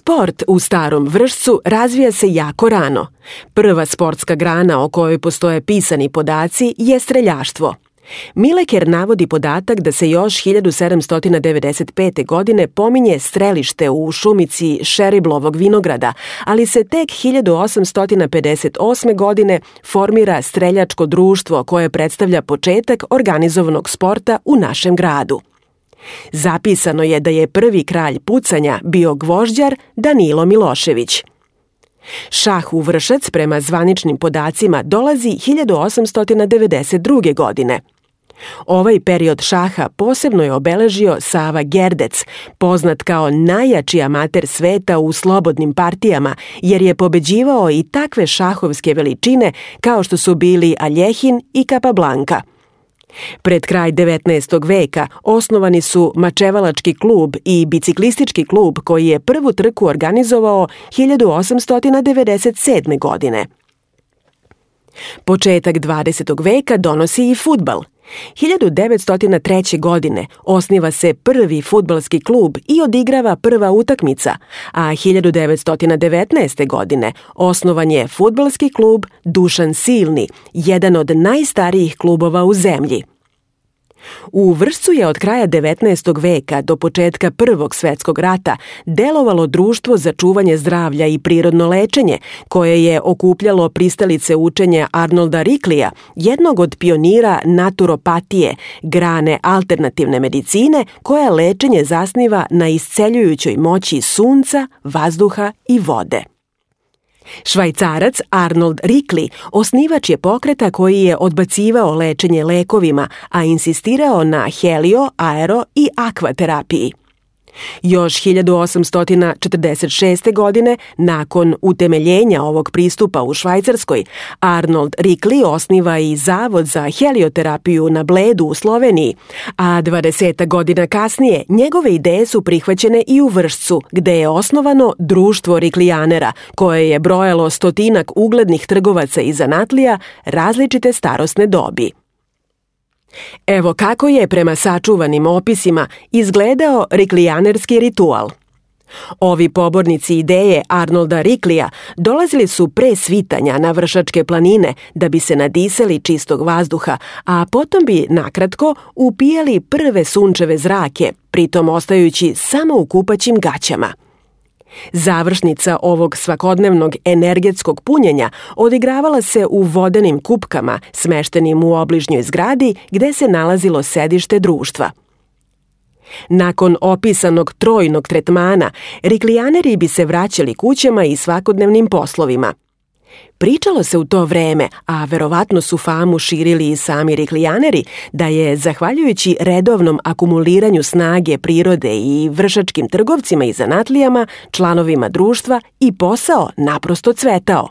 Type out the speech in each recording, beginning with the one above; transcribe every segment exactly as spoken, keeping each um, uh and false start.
Sport u Starom Vršcu razvija se jako rano. Prva sportska grana o kojoj postoje pisani podaci je streljaštvo. Mileker navodi podatak da se još hiljadu sedamsto devedeset pete. godine pominje strelište u šumici Šeriblovog vinograda, ali se tek hiljadu osamsto pedeset osme. godine formira streljačko društvo koje predstavlja početak organizovanog sporta u našem gradu. Zapisano je da je prvi kralj pucanja bio gvožđar Danilo Milošević. Šah u Vršac prema zvaničnim podacima dolazi hiljadu osamsto devedeset druge. godine. Ovaj period šaha posebno je obeležio Sava Gerdec, poznat kao najjači amater sveta u slobodnim partijama, jer je pobeđivao i takve šahovske veličine kao što su bili Aljehin i Kapablanka. Pred kraj devetnaestog. veka osnovani su Mačevalački klub i biciklistički klub koji je prvu trku organizovao hiljadu osamsto devedeset sedme. godine. Početak dvadesetog. veka donosi i fudbal. hiljadu devetsto treće. godine osniva se prvi fudbalski klub i odigrava prva utakmica, a hiljadu devetsto devetnaeste. godine osnovan je fudbalski klub Dušan Silni, jedan od najstarijih klubova u zemlji. U Vršcu je od kraja devetnaestog. veka do početka Prvog svetskog rata delovalo društvo za čuvanje zdravlja i prirodno lečenje, koje je okupljalo pristalice učenja Arnolda Riklija, jednog od pionira naturopatije, grane alternativne medicine, koja lečenje zasniva na isceljujućoj moći sunca, vazduha i vode. Švajcarac Arnold Rikli osnivač je pokreta koji je odbacivao lečenje lekovima, a insistirao na helio, aero i akvaterapiji. Još hiljadu osamsto četrdeset šeste. godine, nakon utemeljenja ovog pristupa u Švajcarskoj, Arnold Rikli osniva i Zavod za helioterapiju na Bledu u Sloveniji, a dvadeset godina kasnije njegove ideje su prihvaćene i u Vršcu, gde je osnovano Društvo Riklijanera, koje je brojalo stotinak uglednih trgovaca i zanatlija različite starosne dobi. Evo kako je prema sačuvanim opisima izgledao riklijanerski ritual. Ovi pobornici ideje Arnolda Riklija dolazili su pre svitanja na Vršačke planine da bi se nadisali čistog vazduha, a potom bi nakratko upijali prve sunčeve zrake, pritom ostajući samo u kupaćim gaćama. Završnica ovog svakodnevnog energetskog punjenja odigravala se u vodenim kupkama smeštenim u obližnjoj zgradi gde se nalazilo sedište društva. Nakon opisanog trojnog tretmana, riklijaneri bi se vraćali kućama i svakodnevnim poslovima. Pričalo se u to vreme, a verovatno su famu širili i sami riklijaneri, da je, zahvaljujući redovnom akumuliranju snage prirode i vršačkim trgovcima i zanatlijama, članovima društva, i posao naprosto cvetao.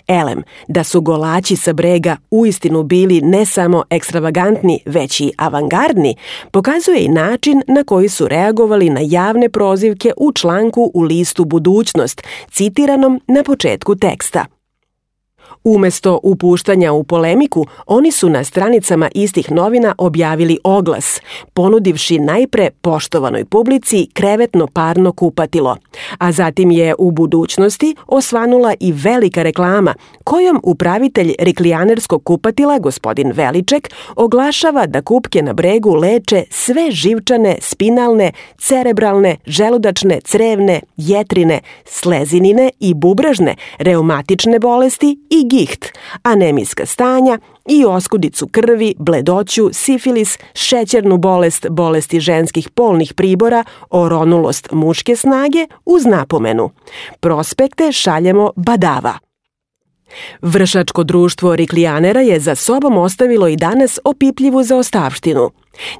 Elem, da su golaći sa brega uistinu bili ne samo ekstravagantni, već i avangardni, pokazuje i način na koji su reagovali na javne prozivke u članku u listu Budućnost, citiranom na početku teksta. Umesto upuštanja u polemiku, oni su na stranicama istih novina objavili oglas, ponudivši najpre poštovanoj publici krevetno parno kupatilo, a zatim je u Budućnosti osvanula i velika reklama kojom upravitelj riklijanerskog kupatila, gospodin Veliček, oglašava da kupke na bregu leče sve živčane, spinalne, cerebralne, želudačne, crevne, jetrine, slezinine i bubražne, reumatične bolesti i giht, anemijska stanja i oskudicu krvi, bledoću, sifilis, šećernu bolest, bolesti ženskih polnih pribora, oronulost muške snage uz napomenu: prospekte šaljemo badava. Vršačko društvo Riklijanera je za sobom ostavilo i danas opipljivu zaostavštinu.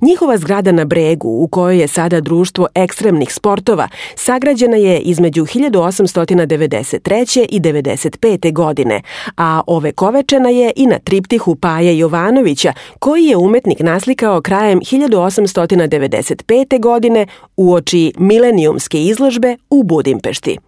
Njihova zgrada na bregu, u kojoj je sada društvo ekstremnih sportova, sagrađena je između hiljadu osamsto devedeset treće i devedeset pete. godine, a ovekovečena je i na triptihu Paje Jovanovića, koji je umetnik naslikao krajem hiljadu osamsto devedeset pete. godine uoči milenijumske izložbe u Budimpešti.